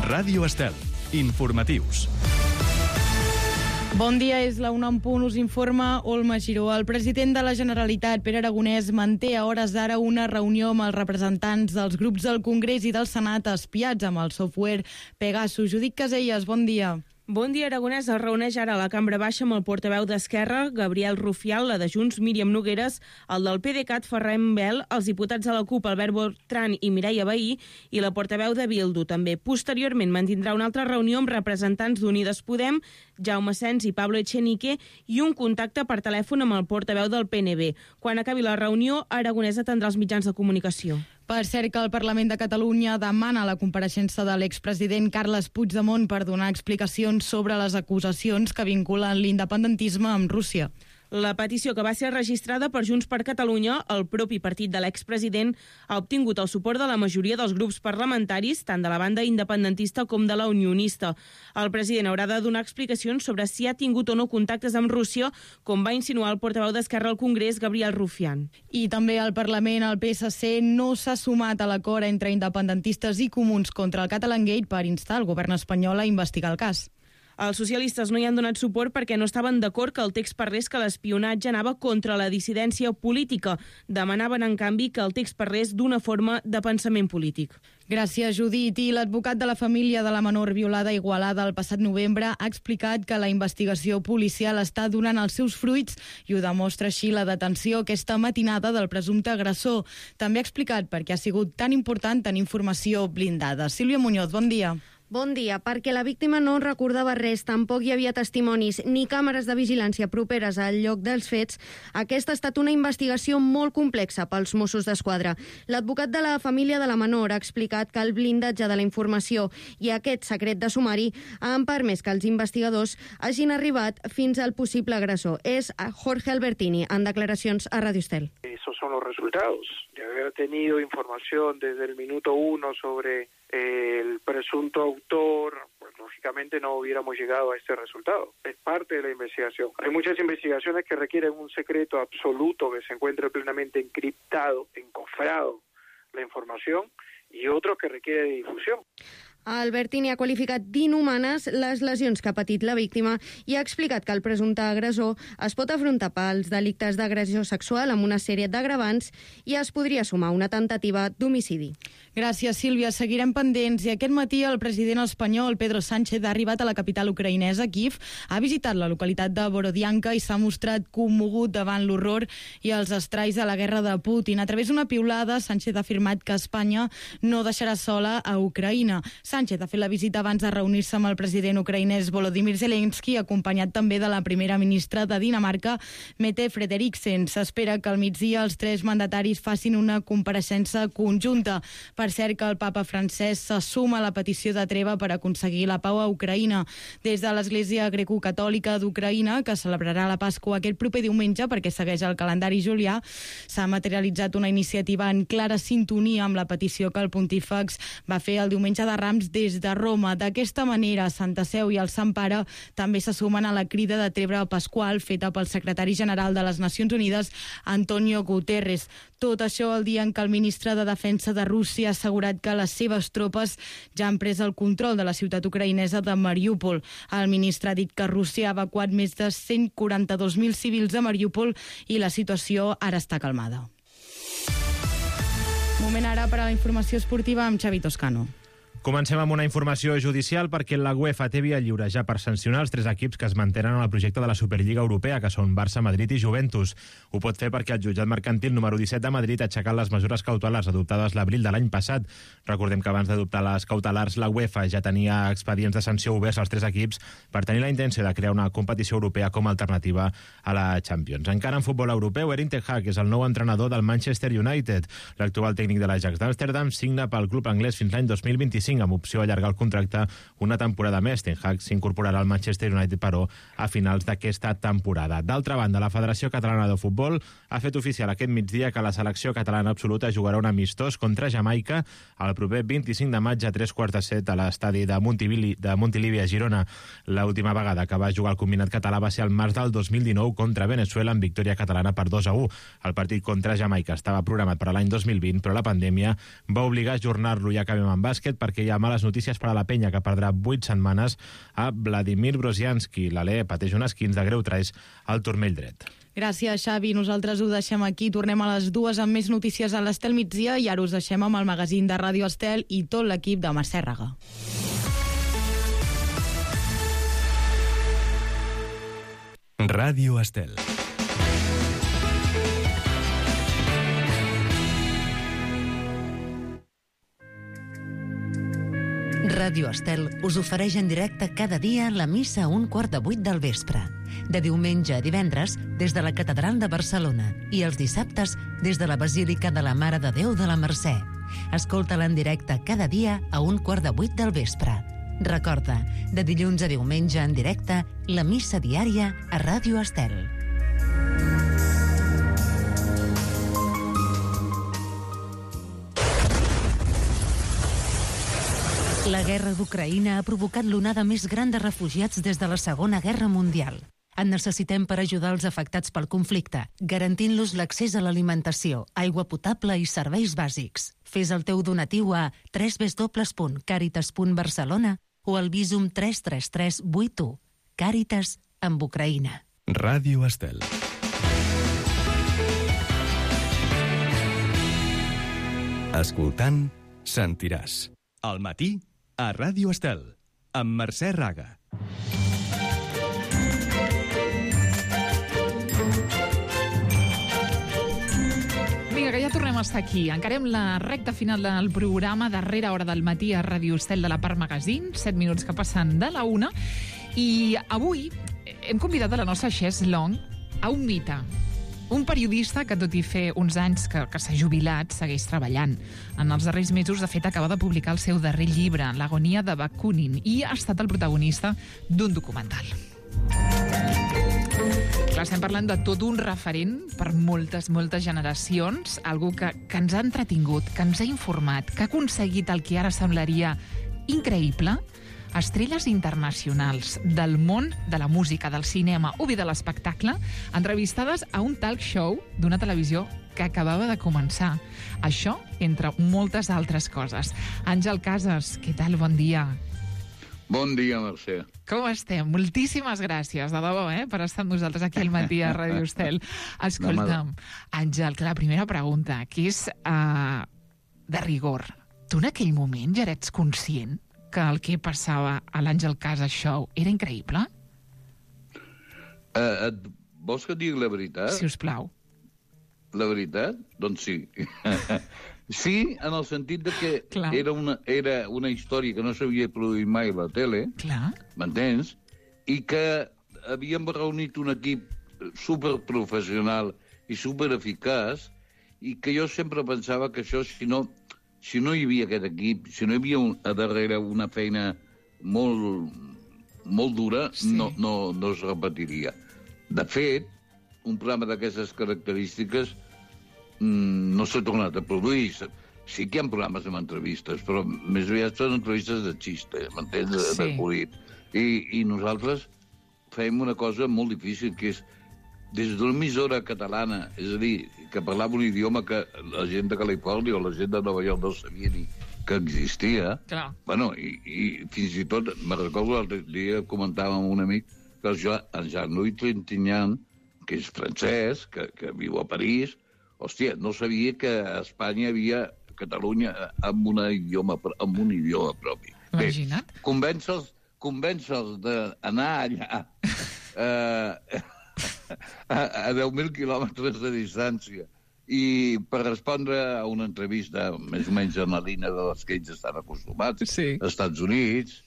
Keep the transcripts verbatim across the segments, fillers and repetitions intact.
Ràdio Estel. Informatius. Bon dia, és la una en punt, us informa Olma Giró. El president de la Generalitat, Pere Aragonès, manté a hores d'ara una reunió amb els representants dels grups del Congrés i del Senat espiats amb el software Pegasus. Judit Caselles, bon dia. Bon dia, Aragonès. Es reuneix ara a la Cambra Baixa amb el portaveu d'Esquerra, Gabriel Rufián, la de Junts, Míriam Nogueres, el del PDeCAT, Ferran Bel, els diputats de la CUP, Albert Bertran i Mireia Vehí, i la portaveu de Bildu, també. Posteriorment mantindrà una altra reunió amb representants d'Unides Podem, Jaume Sens i Pablo Echenique, i un contacte per telèfon amb el portaveu del P N B. Quan acabi la reunió, Aragonès atendrà els mitjans de comunicació. Per cert, que el Parlament de Catalunya demana la compareixença de l'expresident Carles Puigdemont per donar explicacions sobre les acusacions que vinculen l'independentisme amb Rússia. La petició, que va ser registrada per Junts per Catalunya, el propi partit de l'expresident, ha obtingut el suport de la majoria dels grups parlamentaris, tant de la banda independentista com de la unionista. El president haurà de donar explicacions sobre si ha tingut o no contactes amb Rússia, com va insinuar el portaveu d'Esquerra al Congrés, Gabriel Rufián. I també al Parlament, el P S C no s'ha sumat a l'acord entre independentistes i comuns contra el Catalangate per instar el govern espanyol a investigar el cas. Els socialistes no hi han donat suport perquè no estaven d'acord que el text parlés que l'espionatge anava contra la dissidència política. Demanaven, en canvi, que el text parlés d'una forma de pensament polític. Gràcies, Judit. I l'advocat de la família de la menor violada a Igualada el passat novembre ha explicat que la investigació policial està donant els seus fruits i ho demostra així la detenció aquesta matinada del presumpte agressor. També ha explicat per què ha sigut tan important tenir informació blindada. Sílvia Muñoz, bon dia. Bon dia. Perquè la víctima no recordava res, tampoc hi havia testimonis ni càmeres de vigilància properes al lloc dels fets, aquesta ha estat una investigació molt complexa pels Mossos d'Esquadra. L'advocat de la família de la menor ha explicat que el blindatge de la informació i aquest secret de sumari han permès que els investigadors hagin arribat fins al possible agressor. És Jorge Albertini, en declaracions a Radio Estel. Esos son los resultados. De haber tenido información desde el minuto uno sobre el presunto autor, pues lógicamente no hubiéramos llegado a este resultado. Es parte de la investigación. Hay muchas investigaciones que requieren un secreto absoluto, que se encuentre plenamente encriptado, encofrado la información, y otros que requieren de difusión. Albertini ha qualificat d'inhumanes les lesions que ha patit la víctima i ha explicat que el presumpte agressor es pot afrontar pels delictes d'agressió sexual amb una sèrie d'agravants i es podria sumar una tentativa d'homicidi. Gràcies, Sílvia. Seguirem pendents. I aquest matí el president espanyol, Pedro Sánchez, ha arribat a la capital ucraïnesa, Kíev, ha visitat la localitat de Borodianka i s'ha mostrat commogut davant l'horror i els estralls de la guerra de Putin. A través d'una piulada, Sánchez ha afirmat que Espanya no deixarà sola a Ucraïna. Sánchez ha fet la visita abans de reunir-se amb el president ucraïnès Volodymyr Zelensky, acompanyat també de la primera ministra de Dinamarca, Mette Frederiksen. S'espera que al migdia els tres mandataris facin una compareixença conjunta. Per cert, que el papa francès se suma a la petició de treva per aconseguir la pau a Ucraïna. Des de l'Església Grecocatòlica d'Ucraïna, que celebrarà la Pasqua aquest proper diumenge perquè segueix el calendari julià, s'ha materialitzat una iniciativa en clara sintonia amb la petició que el pontífex va fer el diumenge de Rams des de Roma. D'aquesta manera, Santa Seu i el Sant Pare també se sumen a la crida de treva pasqual feta pel secretari general de les Nacions Unides, Antonio Guterres. Tot això el dia en què el ministre de Defensa de Rússia ha assegurat que les seves tropes ja han pres el control de la ciutat ucraïnesa de Mariúpol. El ministre ha dit que Rússia ha evacuat més de cent quaranta-dos mil civils de Mariúpol i la situació ara està calmada. Moment ara per a la informació esportiva amb Xavi Toscano. Comencem amb una informació judicial perquè la UEFA té via lliure ja per sancionar els tres equips que es mantenen en el projecte de la Superliga Europea, que són Barça, Madrid i Juventus. Ho pot fer perquè el jutjat mercantil número disset de Madrid ha aixecat les mesures cautelars adoptades l'abril de l'any passat. Recordem que abans d'adoptar les cautelars, la UEFA ja tenia expedients de sanció oberts als tres equips per tenir la intenció de crear una competició europea com a alternativa a la Champions. Encara en futbol europeu, Erik ten Hag és el nou entrenador del Manchester United. L'actual tècnic de l'Ajax d'Amsterdam signa pel club anglès fins l'any dos mil vint-i-cinc amb opció a allargar el contracte una temporada més. Ten Hag s'incorporarà al Manchester United, però, a finals d'aquesta temporada. D'altra banda, la Federació Catalana de Futbol ha fet oficial aquest migdia que la selecció catalana absoluta jugarà un amistós contra Jamaica el proper vint-i-cinc de maig a tres quarts de set a l'estadi de Montilivi, de Montilivi a Girona. L'última vegada que va jugar el combinat català va ser al març del dos mil dinou contra Venezuela en victòria catalana per dos a u. El partit contra Jamaica estava programat per a l'any dos mil vint, però la pandèmia va obligar a ajornar-lo. I acabem en bàsquet perquè perquè hi ha males notícies per a la penya, que perdrà vuit setmanes a Vladimir Brozianski. L'Ale pateix un esquins de greu trais al turmell dret. Gràcies, Xavi. Nosaltres ho deixem aquí. Tornem a les dues amb més notícies a l'Estel migdia i ara us deixem amb el magazín de Ràdio Estel i tot l'equip de Mercè Raga. Ràdio Estel. Ràdio Estel us ofereix en directe cada dia la missa a un quart de vuit del vespre. De diumenge a divendres, des de la Catedral de Barcelona i els dissabtes des de la Basílica de la Mare de Déu de la Mercè. Escolta-la en directe cada dia a un quart de vuit del vespre. Recorda, de dilluns a diumenge en directe, la missa diària a Ràdio Estel. La guerra d'Ucraïna ha provocat l'onada més gran de refugiats des de la Segona Guerra Mundial. En necessitem per ajudar els afectats pel conflicte, garantint-los l'accés a l'alimentació, aigua potable i serveis bàsics. Fes el teu donatiu a w w w punt caritas punt barcelona o al Visum tres tres tres vuit u. Càritas amb Ucraïna. Ràdio Estel. Escoltant, sentiràs. Al matí, a Ràdio Estel, amb Mercè Raga. Vinga, que ja tornem a estar aquí. Encarem la recta final del programa, darrera hora del matí a Ràdio Estel de la Part Magazine, set minuts que passen de la una, i avui hem convidat a la nostra Xes Long a un mite, un periodista que, tot i fer uns anys que, que s'ha jubilat, segueix treballant. En els darrers mesos, de fet, acaba de publicar el seu darrer llibre, L'agonia de Bakunin, i ha estat el protagonista d'un documental. Clar, estem parlant de tot un referent per moltes, moltes generacions, algú que, que ens ha entretingut, que ens ha informat, que ha aconseguit el que ara semblaria increïble, estrelles internacionals del món de la música, del cinema o bé de l'espectacle, entrevistades a un talk show d'una televisió que acabava de començar. Això, entre moltes altres coses. Àngel Casas, què tal? Bon dia. Bon dia, Mercè. Com estem? Moltíssimes gràcies, de debò, eh, per estar amb nosaltres aquí al matí a Ràdio Estel. Escolta'm, Àngel, que la primera pregunta, que és uh, de rigor. Tu en aquell moment ja eres conscient que el que passava a l'Àngel Casas Show era increïble? Uh, et, vols que et digui la veritat? Si us plau. La veritat? Doncs sí. Sí, en el sentit de que Clar. era una, era una història que no s'havia produït mai a la tele, Clar. m'entens? I que havíem reunit un equip superprofessional i supereficaç, i que jo sempre pensava que això, si no, si no hi havia aquest equip, si no hi havia un, a darrere una feina molt, molt dura, Sí. no, no, no es repetiria. De fet, un programa d'aquestes característiques mm, no s'ha tornat a produir. Sí que hi ha programes amb entrevistes, però més aviat són entrevistes de xiste, m'entens? De, Sí. de acudit. I, I nosaltres fèiem una cosa molt difícil, que és des d'una emissora catalana, és a dir, que parlava un idioma que la gent de Califòrnia o la gent de Nova York no sabia ni que existia. Clar. Bueno, i, i fins i tot, me recordo l'altre dia comentàvem amb un amic que el Jo- en Jean-Louis Trintignant, que és francès, que, que viu a París, hòstia, no sabia que a Espanya hi havia Catalunya amb, una idioma, amb un idioma propi. Imagina't. Bé, convèncer-los convèncer d'anar allà eh, a, a deu mil quilòmetres de distància i per respondre a una entrevista més o menys en la línia de les que ells estan acostumats, Sí. als Estats Units,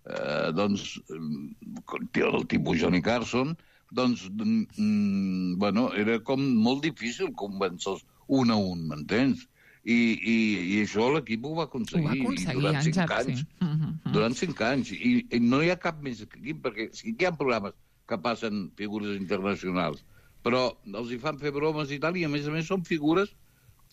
eh, doncs, el tipus Johnny Carson, doncs, mm, bueno, era com molt difícil convèncer-los un a un, m'entens? I, i, i això l'equip ho va aconseguir. Ho va aconseguir, durant cinc Àngel, anys. sí. Mm -hmm. Durant cinc anys. I, I no hi ha cap més equip, perquè sí que hi ha programes que passen figures internacionals, però els hi fan fer bromes i tal, i a més a més són figures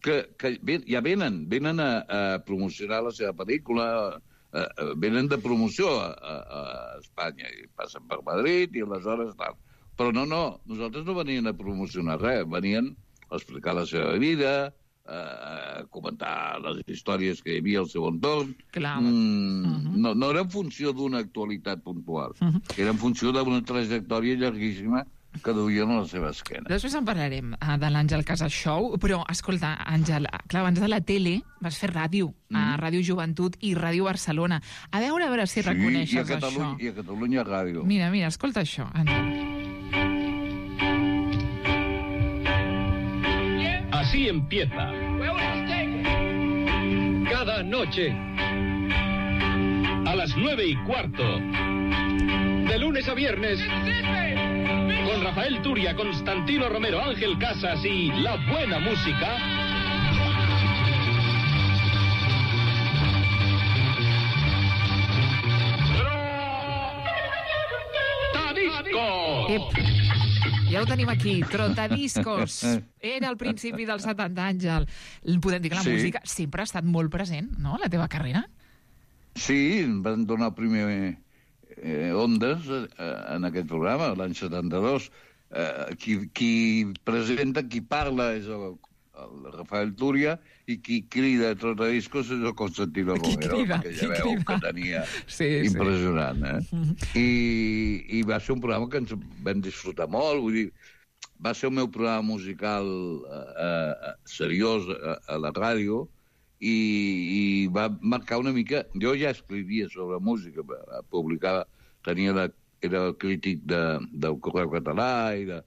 que, que ven, ja venen, venen a, a promocionar la seva pel·lícula, a, a, venen de promoció a, a, a Espanya, i passen per Madrid i aleshores tal. Però no, no, nosaltres no venien a promocionar res, venien a explicar la seva vida, a comentar les històries que hi havia al seu entorn. Clar. Mm, uh-huh. no, no era en funció d'una actualitat puntual, uh-huh. era en funció d'una trajectòria llarguíssima que duien a la seva esquena. Després en parlarem uh, de l'Àngel Casas Show, però, escolta, Àngel, clar, abans de la tele vas fer ràdio, mm. a Ràdio Joventut i Ràdio Barcelona. A veure, a veure si sí, reconeixes i a Catalunya, això. I a Catalunya Ràdio. Mira, mira, escolta això, Àngel. Así empieza. Cada noche, a las nueve y cuarto, de lunes a viernes, con Rafael Turia, Constantino Romero, Ángel Casas y la buena música. Trotadiscos! Ep. Ja ho tenim aquí, Trotadiscos. Era el principi dels setanta, Àngel. Podem dir que la sí. música sempre ha estat molt present, no?, a la teva carrera. Sí, em van donar primer eh, Ondes eh, en aquest programa, l'any setanta-dos. Eh, qui, qui presenta, qui parla és el, el Rafael Turia, i qui crida Trotadiscos és el Constantino Romero, crida, que ja veu crida? Que tenia sí, impressionant. Eh? Mm-hmm. I, I va ser un programa que ens vam disfrutar molt, vull dir, va ser el meu programa musical eh, eh, seriós a, a la ràdio, i, i va marcar una mica... Jo ja escrivia sobre música, publicava, tenia la, era el crític de, del Correu Català i de,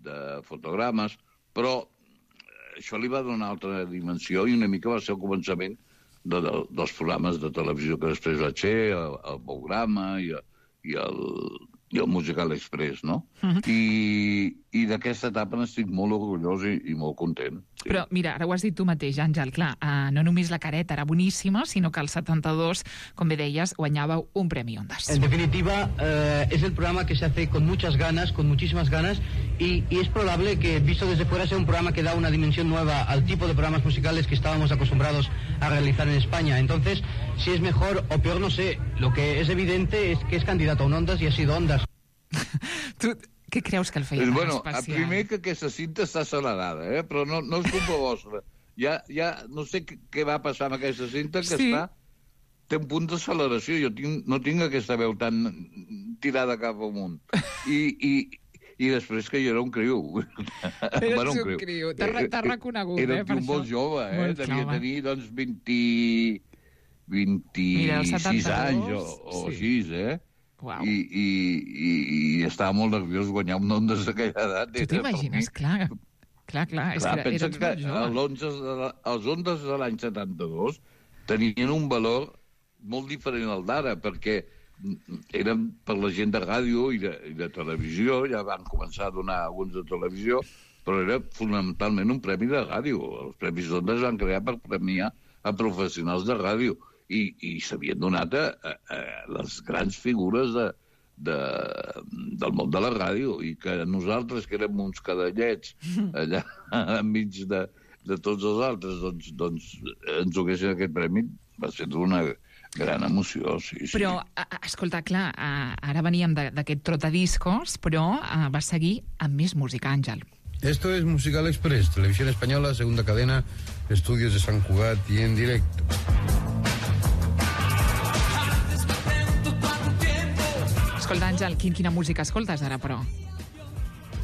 de fotogrames, però això li va donar altra dimensió i una mica va ser el començament de, de, dels programes de televisió que després vaig fer, el, el programa i, i, el, i el Musical Express, no? Uh-huh. I, i d'aquesta etapa n'estic molt orgullós i, i molt content. Sí. Però, mira, ara ho has dit tu mateix, Àngel, clar, uh, no només la careta era boníssima, sinó que al setanta-dos, com bé deies, guanyàveu un Premi Ondas. En definitiva, eh, es el programa que se hace con muchas ganas, con muchísimas ganas, y, y es probable que, visto desde fuera, sea un programa que da una dimensión nueva al tipo de programas musicales que estábamos acostumbrados a realizar en España. Entonces, si es mejor o peor, no sé. Lo que es evidente es que es candidato a un Ondas y ha sido Ondas. tu... Què creus que el feia tan bueno, especial? Primer que aquesta cinta està acelerada, eh? Però no, no és culpa vostra. Ja, ja no sé què va passar amb aquesta cinta, que sí. està... Té un punt d'acceleració. Jo tinc, no tinc aquesta veu tan tirada cap amunt. I, i, i després que jo era un criu. Eres bueno, un criu. criu. T'has reconegut, era eh, per un això. molt jove, eh? Molt Devia jove. tenir, doncs, vint, vint-i-sis anys o, o sí. així, eh? Wow. I, i, i, i estava molt nerviós guanyar un Ondas d'aquella edat. Tu t'imagines, clar, clar, clar, és clar, que pensa eres que molt jove. Els Ondas de l'any setanta-dos tenien un valor molt diferent al d'ara, perquè eren per la gent de ràdio i de, i de televisió, ja van començar a donar alguns de televisió, però era fonamentalment un premi de ràdio. Els Premis Ondas van crear per premiar a professionals de ràdio, i, i s'havien donat a, a, a les grans figures de, de, del món de la ràdio, i que nosaltres, que érem uns cadallets allà enmig de, de tots els altres, doncs, doncs ens ho haguessin aquest premi, va ser una gran emoció, sí, sí. Però, escolta, clar, ara veníem d'aquest Trotadiscos, però va seguir amb més música, Àngel. Esto es Musical Express, Televisión Española, segunda cadena, estudios de Sant Cugat y en directo. Escolta, Àngel, quin, quina música escoltes ara, però?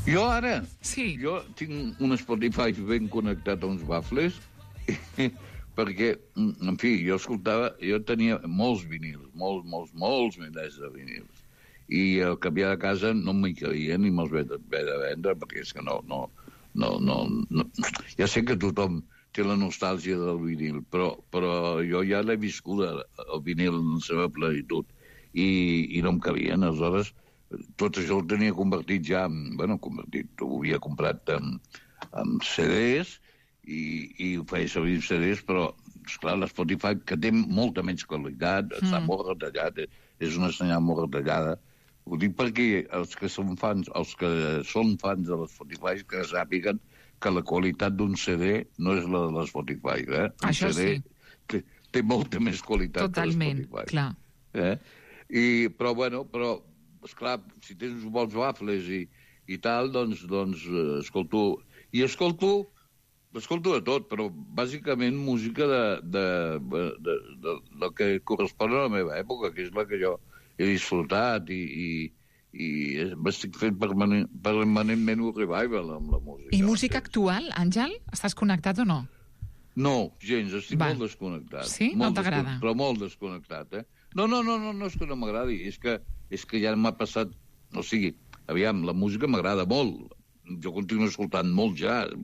Jo ara? Sí. Jo tinc un Spotify ben connectat a uns bafles, perquè, en fi, jo escoltava, jo tenia molts vinils, molts, molts, molts milers de vinils, i al canviar de casa no m'hi cabia ni me'ls vaig haver de vendre, perquè és que no, no, no, no, no... Ja sé que tothom té la nostàlgia del vinil, però, però jo ja l'he viscut, el vinil en la seva plenitud, i, i no em cabien. Aleshores, tot això ho tenia convertit ja en... Bueno, convertit, ho havia comprat en, en C Ds, i, i ho feia servir en C Ds, però, esclar, l'Spotify, que té molta menys qualitat, mm. està molt retallat, és una senyal molt retallada. Ho dic perquè els que són fans, els que són fans de l'Spotify, que sàpiguen que la qualitat d'un C D no és la de l'Spotify, eh? Un Això C D sí. té, té molta més qualitat. Totalment, que l'Spotify. clar. Eh? I, però, bueno, però, esclar, si tens uns bons wafles i, i tal, doncs, doncs, escolto... I escolto escolto de tot, però bàsicament música de, de, de, de, de, de que correspon a la meva època, que és la que jo he disfrutat i, i, i m'estic fent permanent, permanentment un revival amb la música. I música actual, Àngel? Estàs connectat o no? No, gens, estic Va. molt desconnectat. Sí? Molt No t'agrada? Però molt desconnectat, eh? No, no, no, no, no és que no m'agradi, és que, és que ja m'ha passat... O sigui, aviam, la música m'agrada molt. Jo continuo escoltant molt jazz,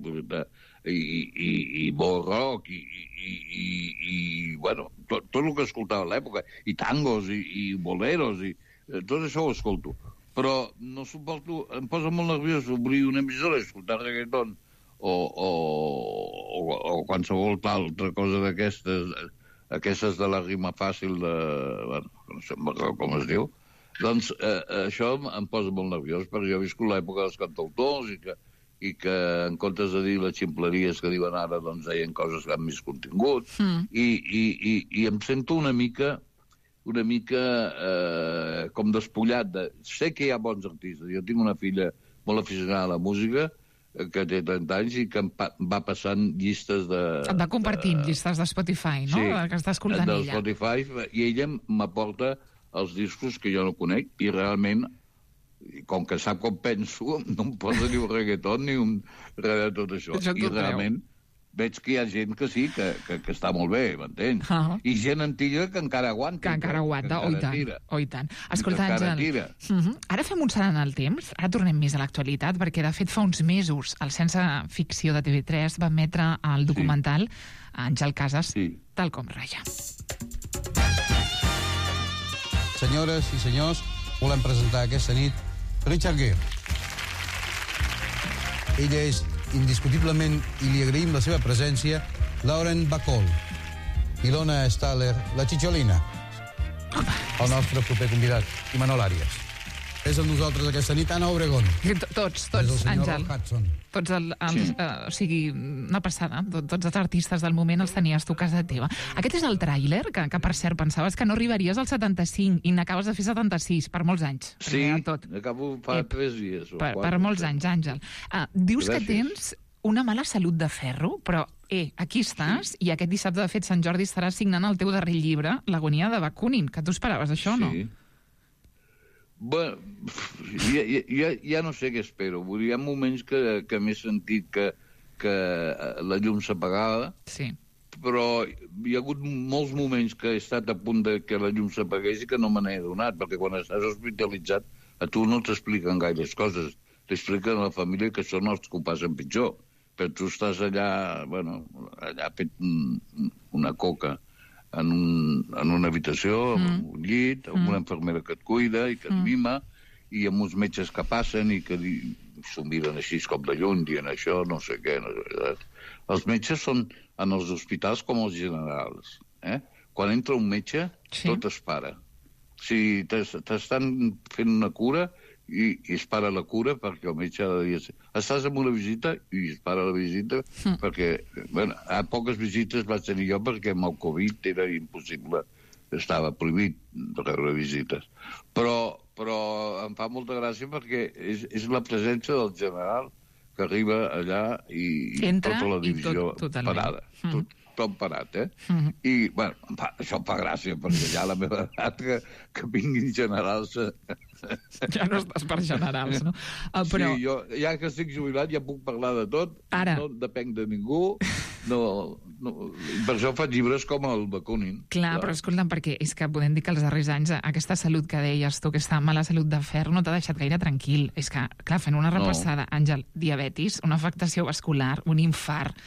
i, i, i molt rock, i, i, i, i bueno, tot, tot el que escoltava a l'època, i tangos, i, i boleros, i tot això ho escolto. Però no suporto, em posa molt nerviós obrir una emissora i escoltar reggaeton, o, o, o, o qualsevol altra cosa d'aquestes, aquestes de la rima fàcil de... Bueno, no sé com es diu. Doncs eh, això em posa molt nerviós, perquè jo he viscut l'època dels cantautors i que, i que en comptes de dir les ximpleries que diuen ara, doncs deien coses que han més contingut, mm. i, i, i, i em sento una mica una mica eh, com despullat. De... Sé que hi ha bons artistes. Jo tinc una filla molt aficionada a la música, que té trenta anys i que em pa va passant llistes de... Et va compartint de... llistes de Spotify, no? Sí, que està escoltant de ella. Spotify, i ella m'aporta els discos que jo no conec, i realment, com que sap com penso, no em posa ni un reggaeton ni un res de tot això. això I realment veig que hi ha gent que sí, que, que, que està molt bé, m'entens? Uh -huh. I gent antiga que encara aguanta. Que encara aguanta, que oi tant, tira. oi tant. Escolta, Àngel, uh -huh. ara fem un salt en el temps, ara tornem més a l'actualitat, perquè de fet fa uns mesos el Sense Ficció de T V tres va emetre el documental sí. Àngel Casas, sí. tal com ratlla. Senyores i senyors, volem presentar aquesta nit Richard Gere. Ella és indiscutiblement, i li agraïm la seva presència, Lauren Bacall. Ilona Staller, la Xixolina. El nostre proper convidat, Imanol Àries. És amb nosaltres aquesta nit Anna Obregón. Tots, tots, Àngel. Hudson. Tots el, els, sí. uh, o sigui, una passada. Tot, tots els artistes del moment els tenies tu a casa teva. Aquest és el tràiler, que, que per cert pensaves que no arribaries al setanta-cinc i n'acabes de fer setanta-sis, per molts anys. Sí, acabo fa Ep, tres dies. Per, per molts anys, Àngel. Uh, dius Gràcies. que tens una mala salut de ferro, però eh, aquí estàs, sí. i aquest dissabte, de fet, Sant Jordi estaràs signant el teu darrer llibre, L'agonia de Bakunin, que tu esperaves això, no? Sí. Bueno, ja, ja, ja no sé què espero. Hi ha moments que, que m'he sentit que, que la llum s'apagava, sí. però hi ha hagut molts moments que he estat a punt de que la llum s'apagués i que no me n'he adonat, perquè quan estàs hospitalitzat a tu no t'expliquen gaires coses. T'expliquen a la família que són els que ho passen pitjor. Però tu estàs allà, bueno, allà fet una coca en, un, en una habitació, mm. en un llit, amb mm. una infermera que et cuida i que et mima, mm. i amb uns metges que passen i que s'ho miren així com de lluny, dient això, no sé què. No sé. Els metges són en els hospitals com els generals. Eh? Quan entra un metge, sí. tot es para. Si t'estan fent una cura, i, i es para la cura perquè el metge ha de dir estàs en una visita i es para la visita mm. perquè, bueno, a poques visites vaig tenir jo perquè amb el Covid era impossible, estava prohibit de rebre visites, però, però em fa molta gràcia perquè és, és la presència del general que arriba allà i, i entra tota la divisió tot, parada, mm. tot, tot parat, eh? Mm. I, bueno, em fa, això em fa gràcia perquè ja a la meva edat que, que vinguin generals ja no estàs per generals, no? Uh, però... Sí, jo ja que estic jubilat ja puc parlar de tot, Ara... no depenc de ningú, no, no, per això faig llibres com el Bakunin. Clar, però escolta'm, perquè és que podem dir que els darrers anys aquesta salut que deies tu, aquesta mala salut de ferro, no t'ha deixat gaire tranquil. És que, clar, fent una repassada, no. Àngel, diabetis, una afectació vascular, un infart,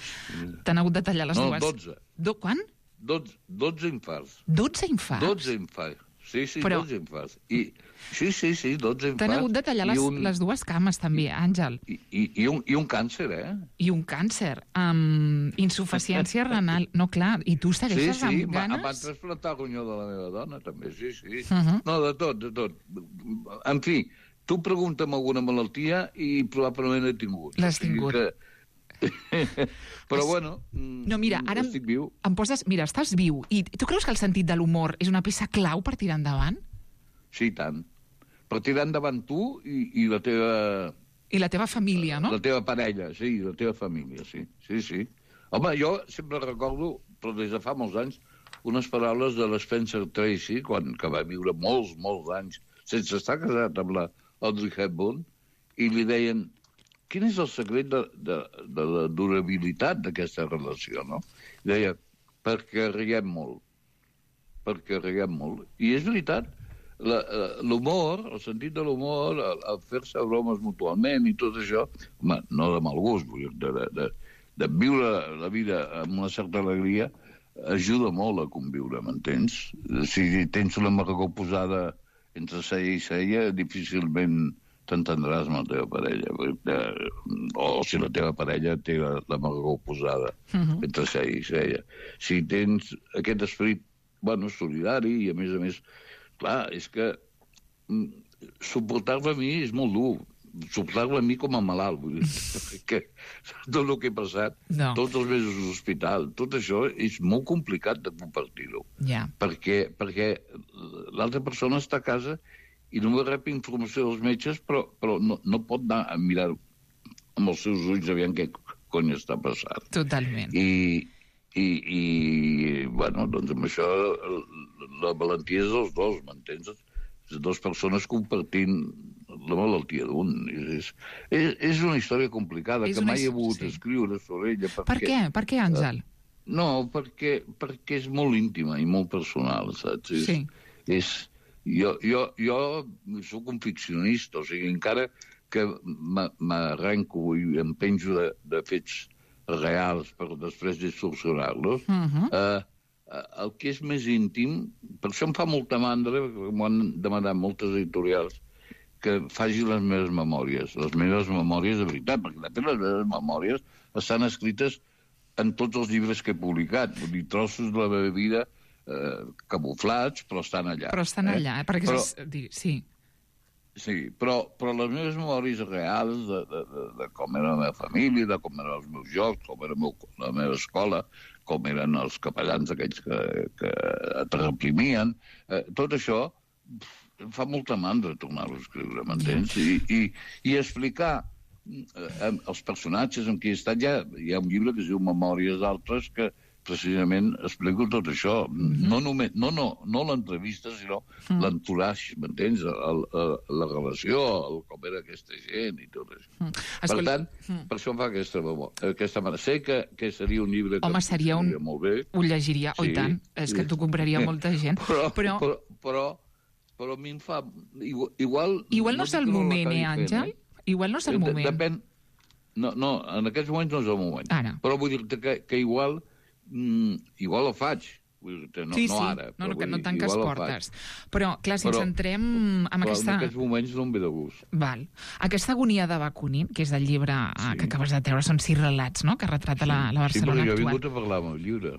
t'han hagut de tallar les no, dues... No, dotze. Do... Quan? Dotze, dotze infarts. Dotze infarts? Dotze infarts. Sí, sí, però... dotze infarts. I, sí, sí, sí, dotze infarts. T'han hagut de tallar les, un... les dues cames, també, Àngel. I, i, i, un, I un càncer, eh? I un càncer. Um, insuficiència renal. No, clar, i tu segueixes sí, sí, amb ganes... Sí, sí, em van trasplantar el ronyó de la meva dona, també, sí, sí. Uh -huh. No, de tot, de tot. En fi, tu pregunta'm alguna malaltia i probablement he tingut. L'has tingut. Que... Però, bueno, no, mira, ara estic viu. Em poses... Mira, estàs viu. I tu creus que el sentit de l'humor és una peça clau per tirar endavant? Sí, tant. Per tirar endavant tu i, i la teva I la teva família, no? La teva parella, sí, la teva família, sí. Sí, sí. Home, jo sempre recordo, però des de fa molts anys, unes paraules de l'Spencer Tracy, quan, que va viure molts, molts anys, sense estar casat amb la Audrey Hepburn, i li deien, quin és el secret de, de, de la durabilitat d'aquesta relació, no? I deia, perquè riguem molt. Perquè riguem molt. I és veritat, l'humor, el sentit de l'humor, el, el fer-se bromes mutualment i tot això, home, no de mal gust, vull dir, de, de, de, de viure la vida amb una certa alegria, ajuda molt a conviure, m'entens? Si tens una amargor posada entre seia i seia, difícilment t'entendràs amb la teva parella. O si la teva parella té l'amargor posada uh-huh. entre seia i seia. Si tens aquest esperit, bueno, solidari, i a més a més, clar, és que suportar-lo a mi és molt dur. Suportar-lo a mi com a malalt, vull dir, perquè tot el que he passat, no. tots els mesos d'hospital, tot això és molt complicat de compartir-ho. Yeah. Perquè, perquè l'altra persona està a casa i només rep informació dels metges, però, però no, no pot anar a mirar amb els seus ulls aviam què cony està passant. Totalment. I, i, i bueno, doncs amb això la valentia és dels dos, m'entens? Les dues persones compartint la malaltia d'un. És, és, és una història complicada, és que mai he volgut sí. escriure sobre ella. Perquè, per què? Per què, Àngel? No, perquè, perquè és molt íntima i molt personal, saps? És, sí. És, jo, jo, jo soc un ficcionista, o sigui, encara que m'arrenco i em penjo de, de fets reals per després distorsionar-los, uh-huh. eh, el que és més íntim, per això em fa molta mandra, perquè m'ho han demanat moltes editorials, que faci les meves memòries. Les meves memòries de veritat, perquè de fet les meves memòries estan escrites en tots els llibres que he publicat. Vull dir, trossos de la meva vida eh, camuflats, però estan allà. Però estan eh? allà, eh? Perquè però, és... sí. Sí, però, però les meves memòries reals de, de, de, de com era la meva família, de com eren els meus jocs, com era meu, la meva escola, com eren els capellans aquells que, que et reprimien, eh, tot això em fa molta mandra tornar-ho a escriure, m'entens? I, i, i explicar eh, els personatges amb qui he estat. Ja, hi ha un llibre que es diu Memòries d'altres que precisament explico tot això. Mm-hmm. No només, no, no, no l'entrevista, sinó mm. l'entourage, m'entens? El, el, la relació, el, com era aquesta gent i tot això. Mm. Per Escolta... tant, mm. per això em fa aquesta, aquesta manera. Sé que, que seria un llibre que Home, seria un... molt bé. Ho llegiria, sí, oi tant. És sí. que t'ho compraria molta gent. Però, però... però, però, però a mi em fa... Igual, igual, igual no és el moment, eh, Àngel? Eh? Igual no és el moment. Depèn... No, no, en aquests moments no és el moment. Ara. Però vull dir que, que igual... Mm, igual ho faig, vull dir, no, sí, no sí. ara. No, no, que no dir, tanques portes. Però, clar, si però, ens entrem en però aquesta... en aquests moments no em ve de gust. Val. Aquesta agonia de Bakunin, que és del llibre sí. que acabes de treure, són sis relats, no?, que retrata sí. la, la Barcelona actual. Sí, però jo he actual. vingut a parlar amb el llibre.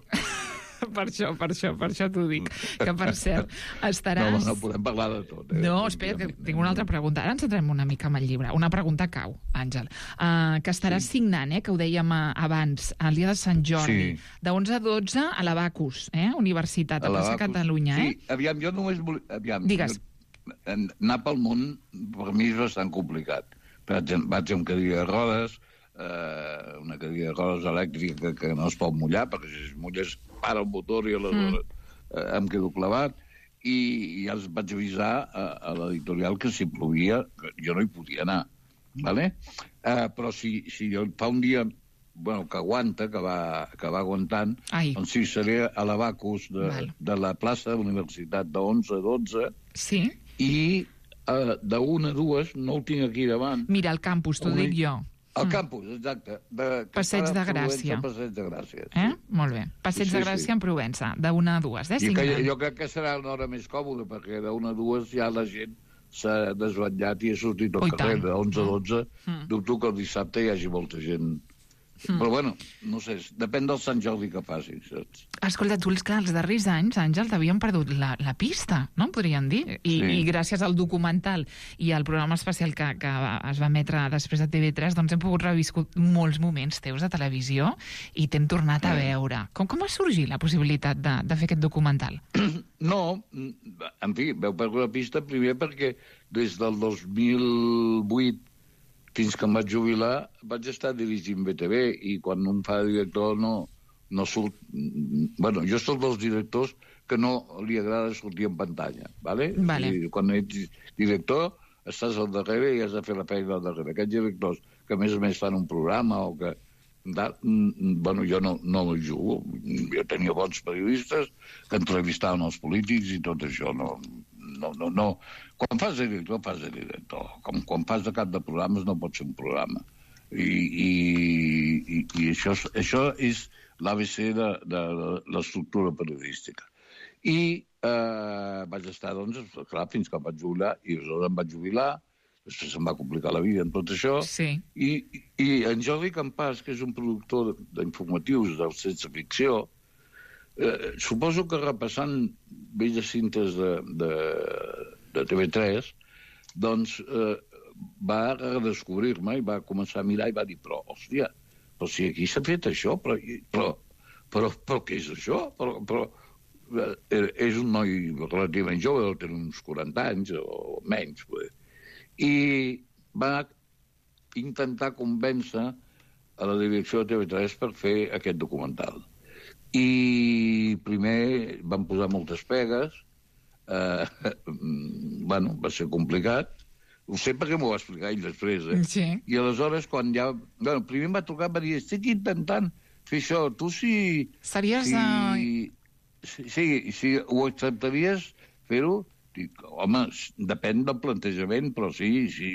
Per això, per això, per això t'ho dic. Que, per cert, estaràs... No, no podem parlar de tot. Eh? No, espera, que tinc una altra pregunta. Ara ens centrem una mica amb el llibre. Una pregunta cau, Àngel. Uh, que estaràs sí. signant, eh, que ho dèiem uh, abans, el dia de Sant Jordi, sí. de onze a dotze a l'Abacus, eh, Universitat, a, a Plaça Catalunya. Eh? Sí, aviam, jo només volia... Aviam, Digues. Jo, anar pel món, per mi és bastant complicat. Vaig, vaig amb cadira de rodes, eh, una cadira de rodes elèctrica que, que no es pot mullar, perquè si es mulla es para el motor i aleshores mm. eh, em quedo clavat, i, i ja els vaig avisar a, a l'editorial que si plovia jo no hi podia anar, vale? eh, però si, si fa un dia bueno, que aguanta, que va, que va aguantant, Ai. doncs sí, seré a l'Abacus de, de la plaça de la Universitat de onze a dotze, sí. i eh, de una a dues, no ho tinc aquí davant. Mira, el campus, t'ho dic jo. El campus, exacte. De, Passeig de Gràcia. Passeig de Gràcia. Sí. Eh? Molt bé. Passeig sí, de Gràcia sí. en Provença, d'una a dues, eh? Que, jo crec que serà una hora més còmoda, perquè d'una a dues ja la gent s'ha desvetllat i ha sortit al oh, carrer. De onze a dotze, mm. dubto que el dissabte hi hagi molta gent. Mm. Però, bueno, no sé, depèn del Sant Jordi que faci, saps? Escolta, tu, que els darrers anys, Àngel, t'havien perdut la, la pista, no? Podríem dir. I, sí. I gràcies al documental i al programa especial que, que es va emetre després de T V tres, doncs hem pogut reviscut molts moments teus de televisió i t'hem tornat a veure. Com, com va sorgir la possibilitat de, de fer aquest documental? No, en fi, veu perdre la pista primer perquè des del dos mil vuit fins que em vaig jubilar, vaig estar dirigint B T V, i quan un fa director no, no surt... Bueno, jo soc dels directors que no li agrada sortir en pantalla, ¿vale? Vale. I quan ets director, estàs al darrere i has de fer la feina al darrere. Aquests directors que a més a més fan un programa o que... Bueno, jo no, no ho jugo. Jo tenia bons periodistes que entrevistaven els polítics i tot això. No, no, no, no. Quan fas de director, fas de director. Com, quan fas de cap de programes no pot ser un programa. I, i, i, i això, això és l'A B C de, de, de l'estructura periodística. I eh, vaig estar, doncs, clar, fins que em vaig jubilar, i aleshores em vaig jubilar. Després se'm va complicar la vida en tot això. Sí. I, i en Jordi Campàs, que és un productor d'informatius del Sense Ficció, eh, suposo que repassant velles cintes de, de, de T V tres, doncs eh, va redescobrir-me i va començar a mirar i va dir, però, hòstia, però si aquí s'ha fet això, però, però, però, però què és això? Però, però eh, és un noi relativament jove, deu tenir uns quaranta anys o menys, pues. I va intentar convèncer a la direcció de T V tres per fer aquest documental. I primer van posar moltes pegues, eh, bueno, va ser complicat, ho sé perquè m'ho va explicar ell després, eh? Sí. I aleshores, quan ja... Bueno, primer em va trucar, em va dir, estic intentant fer això, tu si... Series... Si, Uh... si, si, si ho acceptaries fer-ho, dic, home, depèn del plantejament, però sí, sí,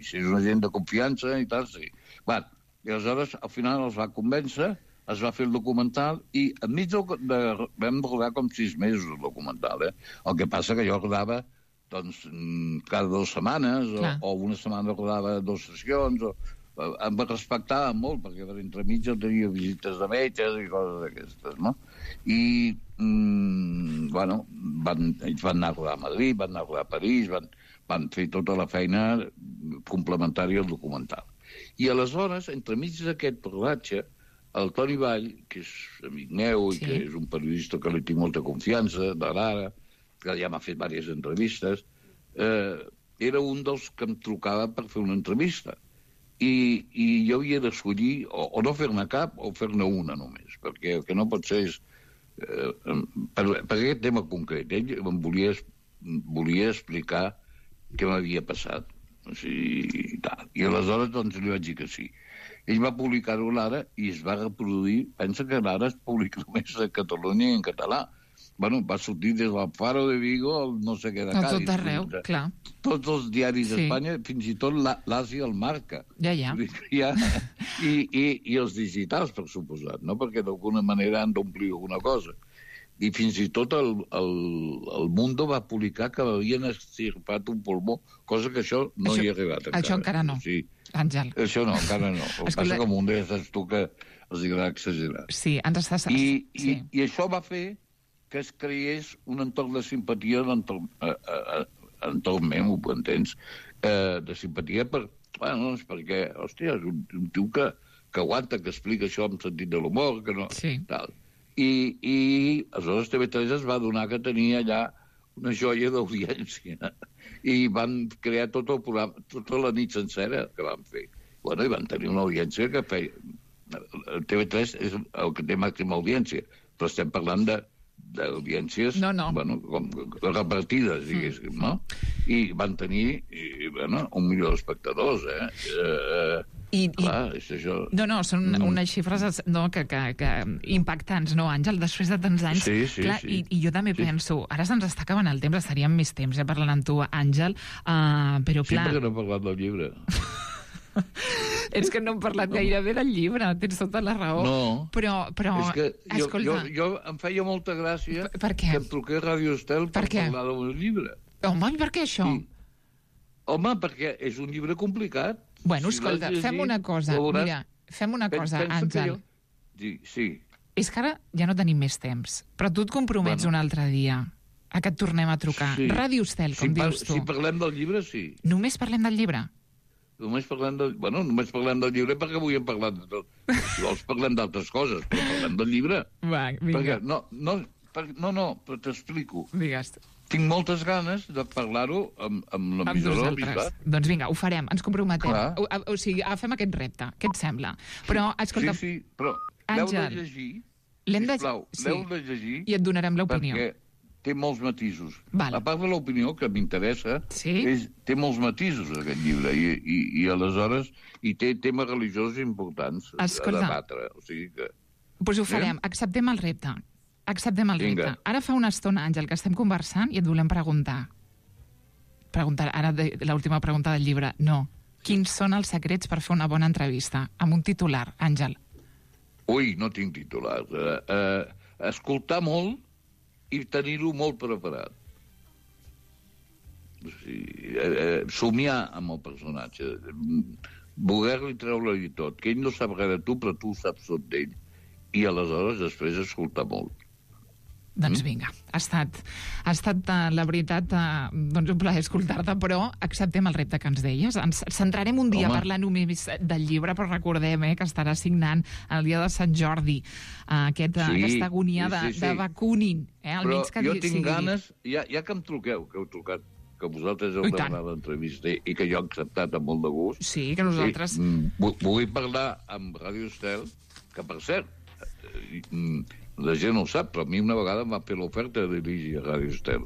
si és una gent de confiança i tal, sí. Va, i aleshores, al final els va convèncer, es va fer el documental, i enmig de, de, vam rodar com sis mesos el documental, eh? El que passa que jo rodava, doncs, cada dues setmanes, o, o una setmana rodava dues sessions, o, em respectava molt, perquè per entremig jo tenia visites de metges i coses d'aquestes, no? I, mm, bueno, van, ells van anar a rodar a Madrid, van anar a rodar a París, van, van fer tota la feina complementària al documental. I aleshores, entremig d'aquest rodatge, el Toni Vall, que és amic meu i sí. que és un periodista que li tinc molta confiança, de l'Ara, que ja m'ha fet diverses entrevistes, eh, era un dels que em trucava per fer una entrevista. I, i jo havia d'escollir o, o no fer-ne cap o fer-ne una només, perquè el que no pot ser és eh, per, per aquest tema concret ell em volia, volia explicar què m'havia passat, o sigui, i, tal. I aleshores doncs li vaig dir que sí. Ell va publicar-ho a l'Ara i es va reproduir, pensa que l'Ara es publica només a Catalunya i en català. Bueno, va sortir des del Faro de Vigo al no sé què de Cádiz. Tot arreu, clar. Tots els diaris sí. d'Espanya, fins i tot l'Àsia el marca. Ja, ja. ja. I, i, I els digitals, per suposat, no? Perquè d'alguna manera han d'omplir alguna cosa. I fins i tot el, el, el Mundo va publicar que havien extirpat un pulmó, cosa que això no això, hi ha arribat encara. Això encara no, sí. Àngel. Això no, encara no. El que passa que el Mundo ja saps tu que els agrada exagerar. Sí, ens estàs... I, sí. i, I això va fer que es creés un entorn de simpatia entorn, eh, eh, entorn meu, ho entens? Eh, de simpatia per, bueno, és perquè, hòstia, és un, un tio que, que aguanta, que explica això amb sentit de l'humor, que no... Sí. Tal. I, i aleshores T V tres es va donar que tenia allà una joia d'audiència i van crear tot el programa, tota la nit sencera que van fer. Bueno, i van tenir una audiència que feia... T V tres és el que té màxima audiència, però estem parlant de d'audiències no, no. Bueno, com, repartides, diguéssim, no? I van tenir i, bueno, un milió d'espectadors, eh? eh I, clar, i... és això... No, no, són mm. unes xifres no, que, que, que impactants, no, Àngel? Després de tants anys... Sí, sí, clar, sí. I, I jo també sí. penso, ara se'ns està acabant el temps, estaríem més temps eh, parlant amb tu, Àngel, uh, però clar... Sí, perquè no he parlat del llibre. És que no hem parlat no. gaire bé del llibre, tens tota la raó. No, però, però és que jo, escolta... jo, jo em feia molta gràcia per, per què? que em truqués Ràdio Estel per, per parlar del llibre. Home, per què això? Sí. Home, perquè és un llibre complicat. Bueno, si escolta, llegir, fem una cosa, veuràs... mira, fem una cosa, Pensa Àngel. Jo... Sí, sí. És que ara ja no tenim més temps, però tu et compromets bueno. un altre dia a que et tornem a trucar. Sí. Ràdio Estel, com si dius tu. Si parlem del llibre, sí. Només parlem del llibre? Només parlem del... Bueno, només parlem del llibre perquè avui hem parlat de tot. Si vols parlem d'altres coses, però parlem del llibre. Va, vinga. Perquè, no, no, per, no, no, però t'explico. Digues. tinc moltes ganes de parlar-ho amb, amb l'emissora del Bisbat. Doncs vinga, ho farem, ens comprometem. O, o, o sigui, agafem aquest repte. Què et sembla? Però, escolta... Sí, sí, però l'heu de llegir, sisplau, l'heu de llegir... I et donarem l'opinió. Perquè té molts matisos. Vale. A part de l'opinió, que m'interessa, sí? és, té molts matisos, aquest llibre, i, i, i aleshores hi té temes religiosos importants Escolta, a debatre. O sigui que... Doncs ho farem, eh? acceptem el repte. Acceptem el Vinga. repte. Ara fa una estona, Àngel, que estem conversant i et volem preguntar. Preguntar, ara de, l'última pregunta del llibre. No. Quins són els secrets per fer una bona entrevista? Amb un titular, Àngel. Ui, no tinc titular. Uh, uh, escoltar molt i tenir-ho molt preparat. O sigui, uh, uh, somiar amb el personatge. Voler-li treure-li tot. Que ell no sap res de tu, però tu saps tot d'ell. I aleshores després escoltar molt. Doncs vinga, ha estat, ha estat la veritat, doncs un plaer escoltar-te, però acceptem el repte que ens deies. Ens centrarem un dia Home. a parlar només del llibre, però recordem eh, que estarà signant el dia de Sant Jordi, uh, aquest, sí, aquesta agonia de, sí, sí, sí. de Bakunin. Eh, però que jo tinc sigui ganes, ja, ja que em truqueu, que heu trucat, que vosaltres heu demanat l'entrevista i que jo he acceptat amb molt de gust. Sí, que nosaltres... Sí, vull, vull parlar amb Ràdio Estel, que per cert, la gent no ho sap, però a mi una vegada em va fer l'oferta de dirigir a Ràdio Estel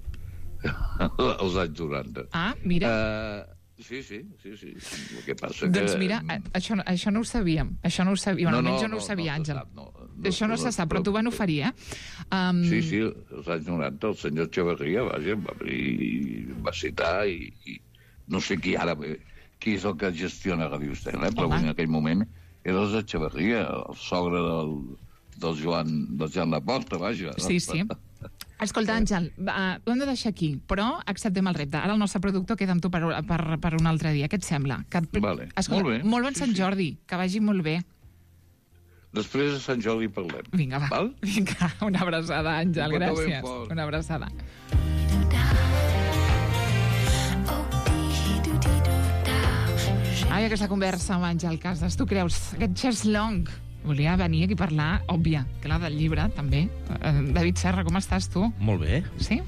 als anys noranta. Ah, mira. Uh, sí, sí, sí, sí. El que passa doncs que... mira, això, això no ho sabíem. Això no ho sabíem. No, almenys no, jo no ho no, sabia, no Àngel. sap, no, no, això no, no se sap, però t'ho van oferir, eh? Um... Sí, sí, als anys noranta el senyor Echeverría, vaja, em va, i, va citar i, i no sé qui ara, qui és el que gestiona Ràdio Estel, eh? Però en aquell moment era el Echeverría, el sogre del... del Joan, del Joan Laporta, vaja. Sí, sí. Escolta, Àngel, uh, ho hem de deixar aquí, però acceptem el repte. Ara el nostre productor queda amb tu per, per, per un altre dia. Què et sembla? Que... Vale. Escolta, molt bé. Molt bon sí, Sant Jordi, sí. Que vagi molt bé. Després de Sant Jordi parlem. Vinga, va. Val? Vinga, una abraçada, Àngel, gràcies. Una abraçada. Ai, aquesta conversa amb Àngel Casas, tu creus? Aquest Chess Long... Volia venir aquí a parlar, òbvia, que la del llibre, també. Uh, David Serra, com estàs, tu? Molt bé. Sí?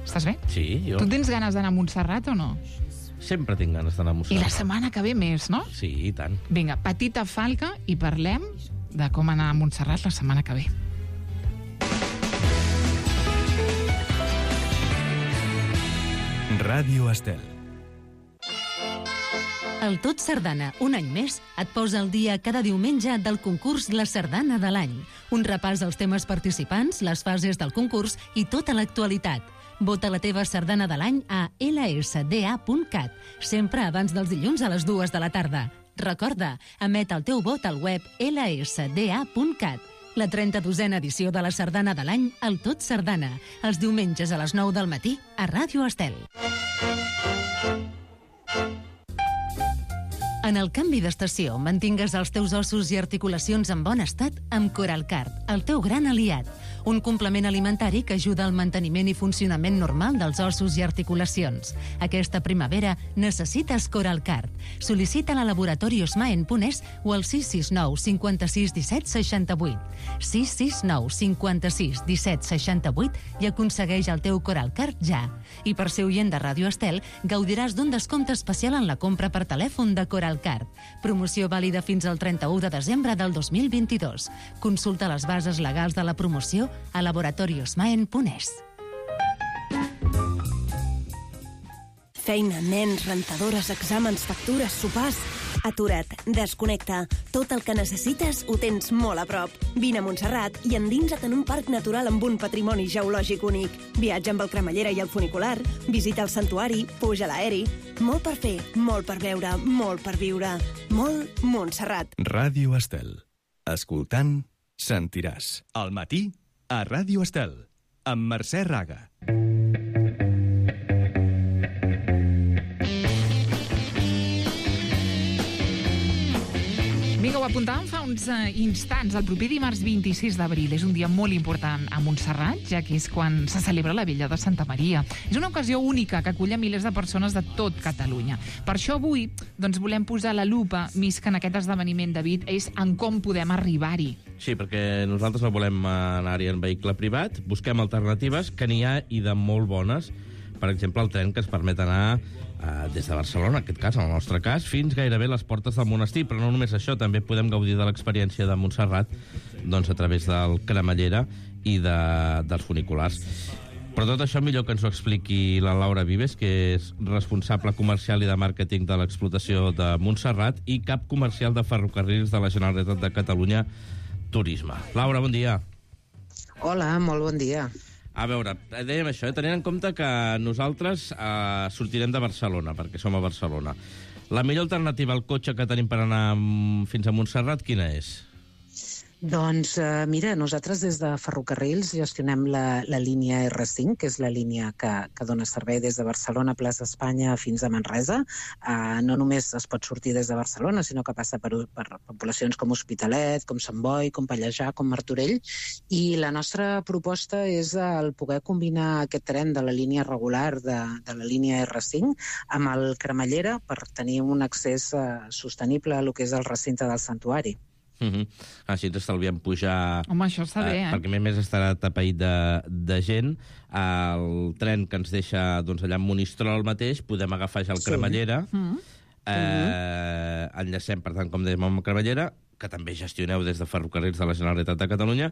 Estàs bé? Sí, jo. Tu tens ganes d'anar a Montserrat o no? Sempre tinc ganes d'anar a Montserrat. I la setmana que ve més, no? Sí, i tant. Vinga, petita falca i parlem de com anar a Montserrat la setmana que ve. Ràdio Estel. El Tot Sardana, un any més, et posa al dia cada diumenge del concurs La Sardana de l'any. Un repàs als temes participants, les fases del concurs i tota l'actualitat. Vota la teva sardana de l'any a ela esse de a punt cat, sempre abans dels dilluns a les dues de la tarda. Recorda, emet el teu vot al web ela esse de a punt cat. La trenta-dosena edició de la Sardana de l'any, el Tot Sardana, els diumenges a les nou del matí a Ràdio Estel. En el canvi d'estació, mantingues els teus ossos i articulacions en bon estat amb Coralcard, el teu gran aliat. Un complement alimentari que ajuda al manteniment i funcionament normal dels ossos i articulacions. Aquesta primavera necessites Coralcard. Sol·licita-la a Laboratori Osmaen punt es o al sis sis nou cinquanta-sis disset seixanta-vuit. sis sis nou cinquanta-sis disset seixanta-vuit i aconsegueix el teu Coralcard ja. I per ser oient de Ràdio Estel, gaudiràs d'un descompte especial en la compra per telèfon de Coralcard. Promoció vàlida fins al trenta-u de desembre del dos mil vint-i-dos. Consulta les bases legals de la promoció a laboratori osmaen punt es. Feina, nens, rentadores, exàmens, factures, sopars... Atura't, desconnecta. Tot el que necessites ho tens molt a prop. Vine a Montserrat i endinsa't en un parc natural amb un patrimoni geològic únic. Viatja amb el cremallera i el funicular, visita el santuari, puja a l'aeri... Molt per fer, molt per veure, molt per viure. Molt Montserrat. Ràdio Estel. Escoltant, sentiràs. Al matí, a Ràdio Estel, amb Mercè Raga. Vinga, ho apuntàvem fa uns uh, instants. El proper dimarts vint-i-sis d'abril és un dia molt important a Montserrat, ja que és quan se celebra la Vella de Santa Maria. És una ocasió única que acull a milers de persones de tot Catalunya. Per això avui doncs, volem posar la lupa, més que en aquest esdeveniment, David, és en com podem arribar-hi. Sí, perquè nosaltres no volem anar-hi en vehicle privat, busquem alternatives, que n'hi ha i de molt bones. per exemple, el tren que ens permet anar eh, des de Barcelona, en aquest cas, en el nostre cas, fins gairebé les portes del monestir. Però no només això, també podem gaudir de l'experiència de Montserrat doncs, a través del Cremallera i de, dels funiculars. Però tot això millor que ens ho expliqui la Laura Vives, que és responsable comercial i de màrqueting de l'explotació de Montserrat i cap comercial de ferrocarrils de la Generalitat de Catalunya Turisme. Laura, bon dia. Hola, molt bon dia. A veure, dèiem això, eh? tenint en compte que nosaltres eh, sortirem de Barcelona, perquè som a Barcelona. La millor alternativa al cotxe que tenim per anar fins a Montserrat, quina és? Doncs eh, mira, nosaltres des de Ferrocarrils gestionem la, la línia erre cinc, que és la línia que, que dona servei des de Barcelona, Plaça Espanya, fins a Manresa. Eh, no només es pot sortir des de Barcelona, sinó que passa per, per poblacions com Hospitalet, com Sant Boi, com Pallejà, com Martorell. I la nostra proposta és el poder combinar aquest tren de la línia regular de, de la línia erre cinc amb el Cremallera per tenir un accés eh, sostenible a lo que és el recinte del santuari. Uh -huh. Així ens estalviem pujar... Home, això està bé, eh? Perquè a més estarà tapeït de, de gent. El tren que ens deixa doncs, allà en Monistrol mateix, podem agafar ja el sí. Cremallera. Uh -huh. eh, enllacem, per tant, com dèiem, amb el Cremallera, que també gestioneu des de Ferrocarrils de la Generalitat de Catalunya,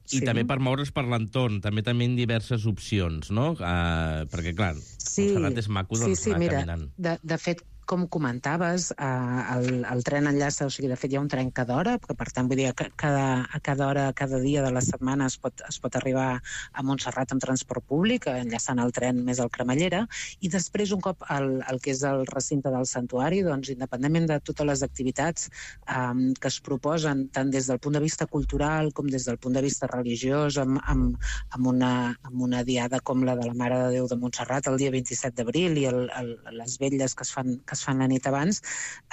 i sí. també per moure's per l'entorn. També tenim diverses opcions, no? Eh, perquè, clar, sí. Montserrat és maco doncs, sí, sí, anar mira, caminant. De, de fet, com comentaves, eh, el, el tren enllaça, o sigui, de fet hi ha un tren cada hora, que per tant, vull dir, que cada, a cada hora, cada dia de la setmana es pot, es pot arribar a Montserrat amb transport públic, enllaçant el tren més al Cremallera, i després, un cop el, el que és el recinte del santuari, doncs, independentment de totes les activitats eh, que es proposen, tant des del punt de vista cultural com des del punt de vista religiós, amb, amb, amb, una, amb una diada com la de la Mare de Déu de Montserrat el dia vint-i-set d'abril i el, el, les vetlles que es fan que es fan la nit abans,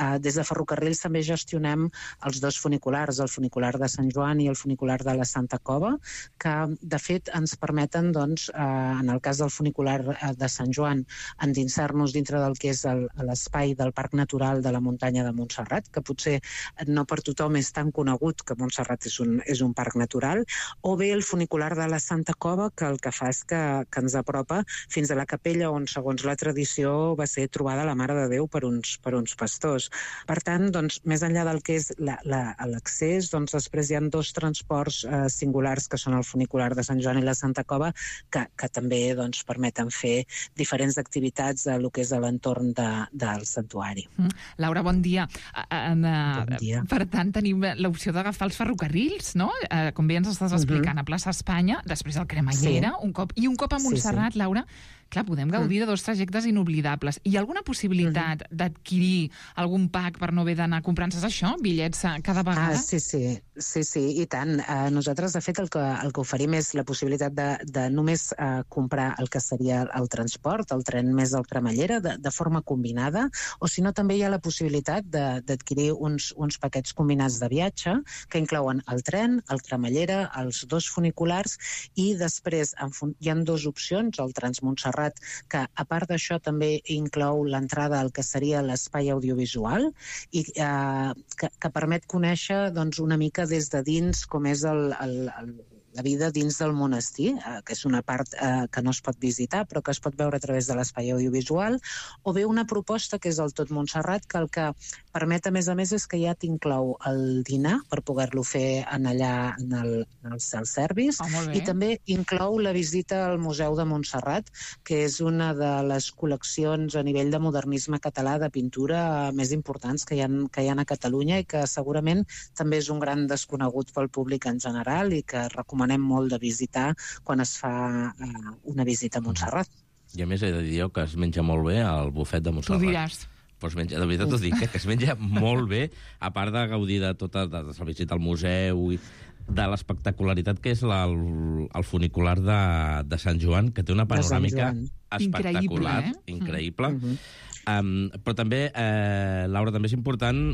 eh, des de Ferrocarrils també gestionem els dos funiculars, el funicular de Sant Joan i el funicular de la Santa Cova, que de fet ens permeten, doncs, eh, en el cas del funicular de Sant Joan, endinsar-nos dintre del que és l'espai del Parc Natural de la Muntanya de Montserrat, que potser no per tothom és tan conegut que Montserrat és un, és un parc natural, o bé el funicular de la Santa Cova, que el que fa és que, que ens apropa fins a la capella on, segons la tradició, va ser trobada la Mare de Déu per uns, per uns pastors. Per tant, doncs, més enllà del que és l'accés, doncs, després hi ha dos transports eh, singulars, que són el funicular de Sant Joan i la Santa Cova, que, que també doncs, permeten fer diferents activitats a lo que és a l'entorn de, del santuari. Mm. Laura, bon dia. Uh, uh, bon dia. Per tant, tenim l'opció d'agafar els ferrocarrils, no? Uh, com bé ens estàs explicant, uh -huh. a Plaça Espanya, després el Cremallera, sí. un cop, i un cop a Montserrat, sí, sí. Laura, clar, podem gaudir de dos trajectes inoblidables. Hi ha alguna possibilitat uh -huh. d'adquirir algun pack per no haver d'anar comprant-se això, bitllets cada vegada? Ah, sí, sí, sí, sí, i tant. Uh, nosaltres, de fet, el que, el que oferim és la possibilitat de, de només uh, comprar el que seria el transport, el tren més el Cremallera, de, de forma combinada, o si no, també hi ha la possibilitat d'adquirir uns, uns paquets combinats de viatge que inclouen el tren, el Cremallera, els dos funiculars, i després en, hi ha dues opcions, el Transmontserrat, que a part d'això també inclou l'entrada al que seria l'espai audiovisual i eh, que, que permet conèixer doncs, una mica des de dins com és el, el, el la vida dins del monestir, eh, que és una part eh, que no es pot visitar, però que es pot veure a través de l'espai audiovisual, o bé una proposta que és el Tot Montserrat, que el que permet, a més a més, és que ja t'inclou el dinar per poder-lo fer en allà en el, en el self-service, oh, i també inclou la visita al Museu de Montserrat, que és una de les col·leccions a nivell de modernisme català de pintura més importants que hi ha, que hi ha a Catalunya i que segurament també és un gran desconegut pel públic en general i que recomanem recomanem molt de visitar quan es fa uh, una visita a Montserrat. I a més he de dir jo que es menja molt bé al bufet de Montserrat. Tu diràs. Pues menja, de veritat t'ho dic, eh, que es menja molt bé, a part de gaudir de tota de, de la visita al museu i de l'espectacularitat que és la, el, el funicular de, de Sant Joan, que té una panoràmica espectacular, increïble, eh? increïble. Mm-hmm. Um, però també, eh, Laura, també és important,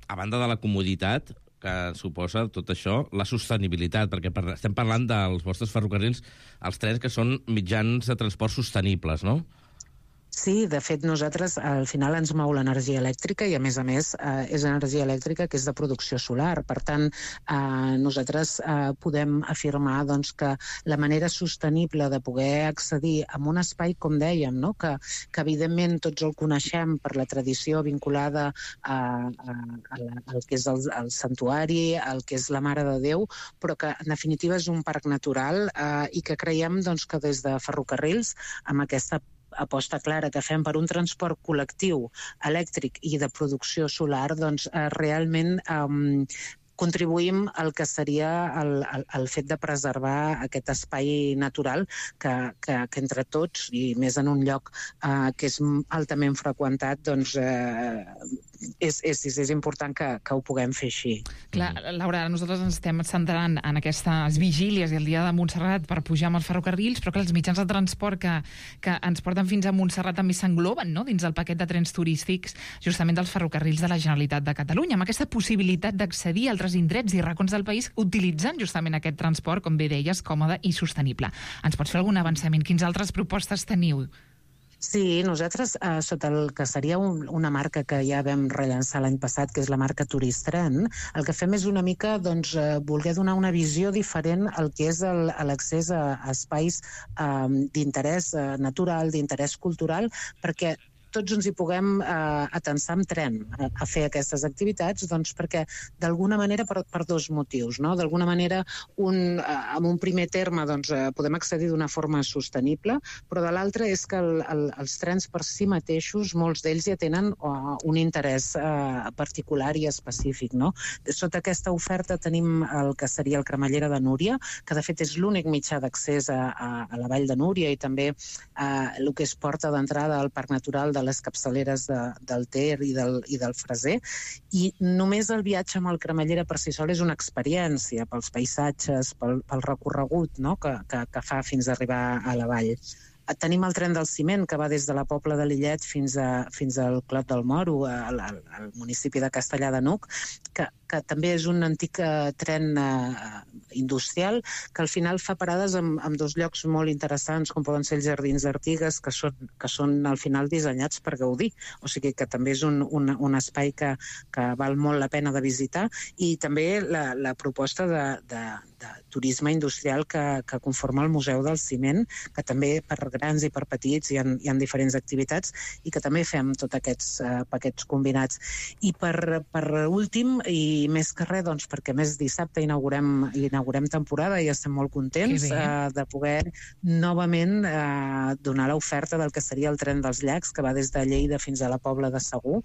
a banda de la comoditat, que suposa tot això, la sostenibilitat, perquè per, estem parlant dels vostres ferrocarrils, els trens que són mitjans de transport sostenibles, no? Sí, de fet, nosaltres al final ens mou l'energia elèctrica i, a més a més, eh, és energia elèctrica que és de producció solar. Per tant, eh, nosaltres eh, podem afirmar doncs, que la manera sostenible de poder accedir a un espai, com dèiem, no? que, que evidentment tots el coneixem per la tradició vinculada a, a, a la, al que és el, el santuari, al que és la Mare de Déu, però que en definitiva és un parc natural eh, i que creiem doncs, que des de Ferrocarrils, amb aquesta aposta clara que fem per un transport col·lectiu elèctric i de producció solar, doncs eh, realment eh, contribuïm al que seria el, el, el fet de preservar aquest espai natural que, que, que entre tots, i més en un lloc eh, que és altament freqüentat, doncs eh, és, és, és important que, que ho puguem fer així. Clar, Laura, nosaltres ens estem centrant en aquestes vigílies i el dia de Montserrat per pujar amb els ferrocarrils, però que els mitjans de transport que, que ens porten fins a Montserrat també s'engloben, no?, dins del paquet de trens turístics justament dels ferrocarrils de la Generalitat de Catalunya, amb aquesta possibilitat d'accedir a altres indrets i racons del país utilitzant justament aquest transport, com bé deies, còmode i sostenible. Ens pots fer algun avançament? Quines altres propostes teniu? Sí, nosaltres, eh, sota el que seria un, una marca que ja vam rellançar l'any passat, que és la marca Turistren, el que fem és una mica doncs, eh, voler donar una visió diferent al que és l'accés a, a espais eh, d'interès eh, natural, d'interès cultural, perquè tots ens hi puguem eh, atensar amb tren a, a fer aquestes activitats, doncs perquè d'alguna manera per, per dos motius, no? D'alguna manera, un, eh, en un primer terme, doncs, eh, podem accedir d'una forma sostenible, però de l'altre és que el, el, els trens per si mateixos, molts d'ells ja tenen uh, un interès uh, particular i específic, no? Sota aquesta oferta tenim el que seria el Cremallera de Núria, que de fet és l'únic mitjà d'accés a, a, a la Vall de Núria i també uh, el que és porta d'entrada al Parc Natural de les capçaleres de, del Ter i del, i del Freser, i només el viatge amb el Cremallera per si sol és una experiència pels paisatges, pel, pel recorregut, no?, que, que, que fa fins a arribar a la vall. Tenim el tren del ciment, que va des de la Pobla de Lillet fins, a, fins al Clot del Moro, al, al, al municipi de Castellar de n'Hug, que, que també és un antic uh, tren uh, industrial, que al final fa parades en, en dos llocs molt interessants, com poden ser els Jardins d'Artigues, que són, que són al final dissenyats per gaudir. O sigui que també és un, un, un espai que, que val molt la pena de visitar, i també la, la proposta de, de, de turisme industrial que, que conforma el Museu del Ciment, que també per grans i per petits hi ha, hi ha diferents activitats i que també fem tots aquests uh, paquets combinats. I per, per últim, i més que res, doncs, perquè més dissabte inaugurem, inaugurem temporada i estem molt contents uh, de poder novament uh, donar l'oferta del que seria el tren dels llacs, que va des de Lleida fins a la Pobla de Segur,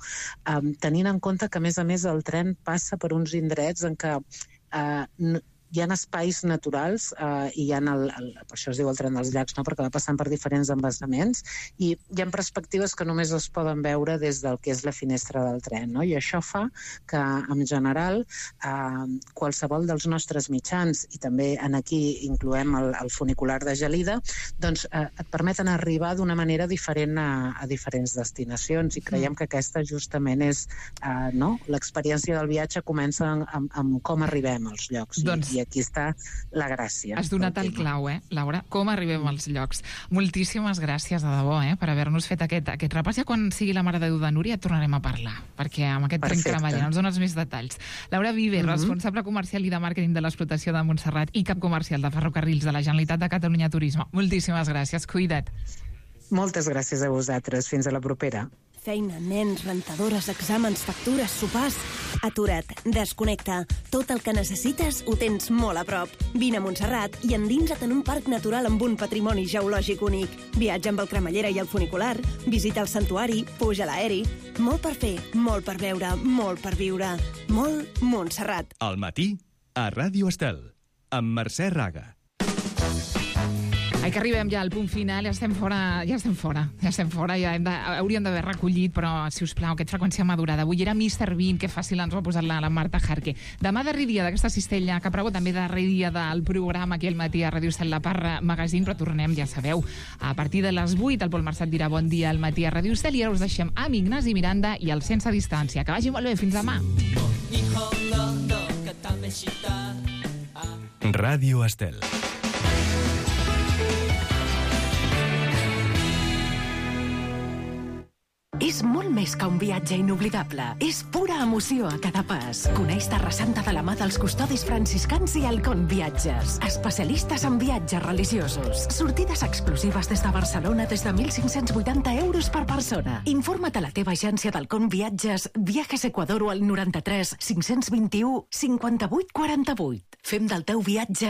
um, tenint en compte que, a més a més, el tren passa per uns indrets en què uh, hi ha espais naturals eh, i hi ha el, el, per això es diu el tren dels llacs, no? Perquè va passant per diferents embassaments i hi ha perspectives que només es poden veure des del que és la finestra del tren, no? I això fa que, en general, eh, qualsevol dels nostres mitjans, i també en aquí incloem el, el funicular de Gelida, doncs eh, et permeten arribar d'una manera diferent a, a diferents destinacions, i creiem que aquesta justament és eh, no? L'experiència del viatge comença amb, amb com arribem als llocs. Doncs, i, i aquí està la gràcia. Has donat el clau, eh, Laura? Com arribem als llocs. Moltíssimes gràcies, de debò, eh, per haver-nos fet aquest, aquest repàs. Ja quan sigui la Mare de Déu de Núria tornarem a parlar, perquè amb aquest tren Cremallera ens dones més detalls. Laura Viver, mm-hmm. responsable comercial i de màrqueting de l'explotació de Montserrat i cap comercial de Ferrocarrils de la Generalitat de Catalunya Turisme. Moltíssimes gràcies, cuida't. Moltes gràcies a vosaltres. Fins a la propera. Feina, nens, rentadores, exàmens, factures, sopars... Atura't, desconnecta. Tot el que necessites ho tens molt a prop. Vine a Montserrat i endinsa't en un parc natural amb un patrimoni geològic únic. Viatja amb el Cremallera i el funicular, visita el santuari, puja a l'aeri... Molt per fer, molt per veure, molt per viure. Molt Montserrat. Al matí, a Ràdio Estel, amb Mercè Raga. Ai, que arribem ja al punt final, ja estem fora, ja estem fora, ja estem fora, ja hem de, hauríem d'haver recollit, però, si us plau, aquest freqüència madurada. Avui era mister Bean, que fàcil ens ho ha posat la, la Marta Jarque. Demà darrer dia d'aquesta cistella, que prego també darrer dia del programa aquí al matí a Ràdio Estel, la Parra Magazine, però tornem, ja sabeu, a partir de les vuit, el Pol Marçat dirà bon dia al matí a Ràdio Estel, i ara us deixem amb Ignasi Miranda i el Sense Distància. Que vagi molt bé, fins demà. Ràdio Estel. és molt més que un viatge inoblidable. És pura emoció a cada pas. Coneix Terra Santa de la mà dels custodis franciscans i Halcón Viatges. Especialistes en viatges religiosos. Sortides exclusives des de Barcelona des de mil cinc-cents vuitanta euros per persona. Informa't a la teva agència d'Halcón Viatges, Viajes Ecuador o al noranta-tres cinc-cents vint-i-u cinquanta-vuit quaranta-vuit. Fem del teu viatge